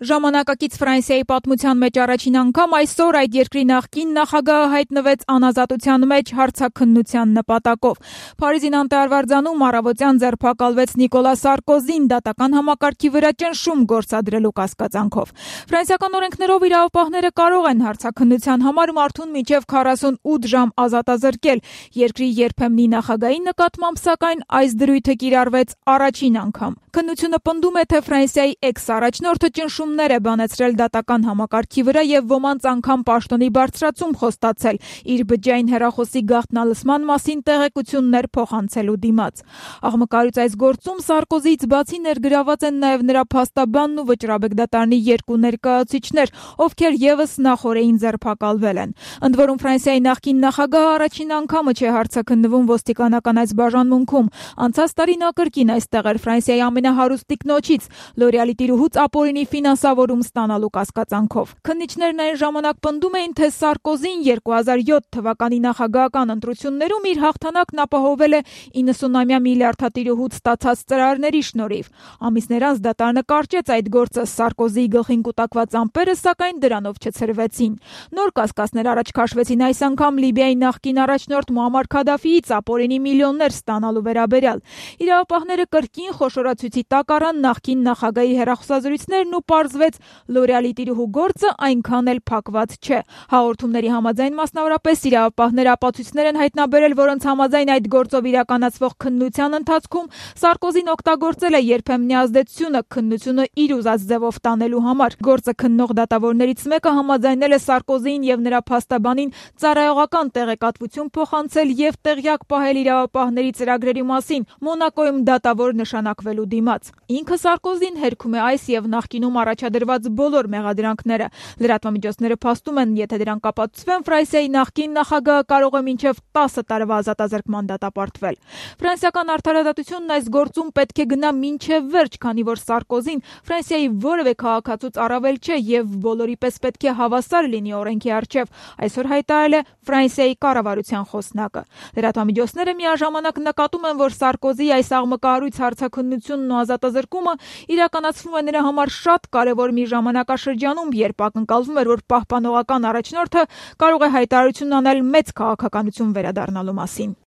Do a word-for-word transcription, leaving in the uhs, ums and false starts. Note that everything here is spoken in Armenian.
Ժամանակակից Ֆրանսիայի պատմության մեջ առաջին անգամ այսօր այդ երկրի նախկին նախագահը հայտնվեց անազատության մեջ հարցաքննության նպատակով։ Փարիզին անտարվարձանում առավոտյան ձերբակալվեց Նիկոլա Սարկոզին դատական համակարգի վրա ճնշում գործադրելու կասկածանքով։ Ֆրանսիական օրենքներով իրավապահները կարող են հարցաքննության համար մարդուն մինչև քառասունութ ժամ ազատազրկել։ Երկրի երբեմնի նախագահի նկատմամբ սակայն այս դրույթը կիրառվեց առաջին անգամ։ Քննությունը պնդում է, թե Ֆրանսիայի էքս-առաջնորդը ճնշումներ է բանեցրել դատական համակարգի վրա եւ ոմանց անգամ պաշտոնի բարձրացում խոստացել, իր բջջային հեռախոսի գաղտնալսման մասին տեղեկություններ փոխանցելու դիմաց։ Աղմկարից այս գործում Սարկոզիից բացի ներգրաված են նաեւ նրա փաստաբանն ու վճռաբեկ դատարանի երկու ներկայացուցիչներ, ովքեր եւս նախօրեին ձերբակալվել են։ Ընդ որում Ֆրանսիայի նախկին նախագահը առաջին անգամը չէ հարցաքննվում ոստիկանական այս բաժանմունքում։ Անցած տարի նա կրկին այստեղ էր Ֆրանսիայի ամենահարուստ տիկնոջից՝ Լորեալի տիրուհուց ապօրինի ֆինանսավորում ստանալու կասկածանքով։ Քննիչներն այն ժամանակ պնդում էին, թե Սարկոզին երկու հազար յոթ թվականի նախագահական ընտրություններում իր հաղթանակն ապահովել է իննսունամյա միլիարդատիրուհուց ստացած ծրարների շնորհիվ։ Ամիսներ անց դատարանը կարճեց այդ գործը, Սարկոզիի գլխին կուտակված ամպերը սակայն դրանով չցրվեցին։ Նոր կասկածներ առաջ քաշվեցին այս անգամ Լիբիայի նախկին առաջնորդ Մուամմար Քադաֆիից ապօրինի միլիոններ ստանալու վերաբերյալ։ Իրավապահները կրկին խոշորացույցի տակ առան նախկին նախագահի հեռախոսազրույցներն ու պարզվեց Լորեալի տիրուհու գործը այնքան էլ փակված չէ։ Հաղորդումների համաձայն մասնավորապես իրավապահները ապացույցներ են հայտնաբերել, որոնց համաձայն այդ գործով իրականացվող քննության ընթացքում Սարկոզին օգտագործել է երբեմնի ազդեցությունը քննությունը իր ուզած ձևով տանելու համար։ Գործը քննող դատավորներից մեկը համաձայնել է Սարկոզիին եւ նրա փաստաբանին ծառայողական տեղեկատվություն փոխանցել եւ տեղյակ պահել իրավապահների ծրագրերի մասին Մոնակոյում դատավոր նշանակվելու դիմաց։ Ինքը Սարկոզին հերքում է այս եւ նախկինում առաջադրված բոլոր մեղադրանքները։ Լրատվամիջոցները փաստում են, եթե դրանք ապացուցվեն, Ֆրանսիայի նախկին նախագահը կարող է մինչև տասը տարվա ազատազրկման դատապարտվել։ Ֆրանսիական արդարադատությունն այս գործում պետք է գնա մինչև վերջ, քանի որ Սարկոզին Ֆրանսիայի որևէ քաղաքացուց առավել չէ եւ բոլորի պես պետք է հավասար լինի օրենքի առջեւ, այսօր հայտարարել է Ֆրանսիայի կառավարության խոսնակը։ Լրատվամիջոցները միաժամանակ նկատում են, որ Սարկոզիի այս աղմկահարույց հարցաքննությունն ու ազատազրկումը իրականացվում է նրա համար շատ կարևոր մի ժամանակաշրջանում, երբ ակնկալվում էր, որ պահպանողական առաջնորդը կարող է հայտարարություն անել մեծ քաղաքականություն վերադառնալու մասին։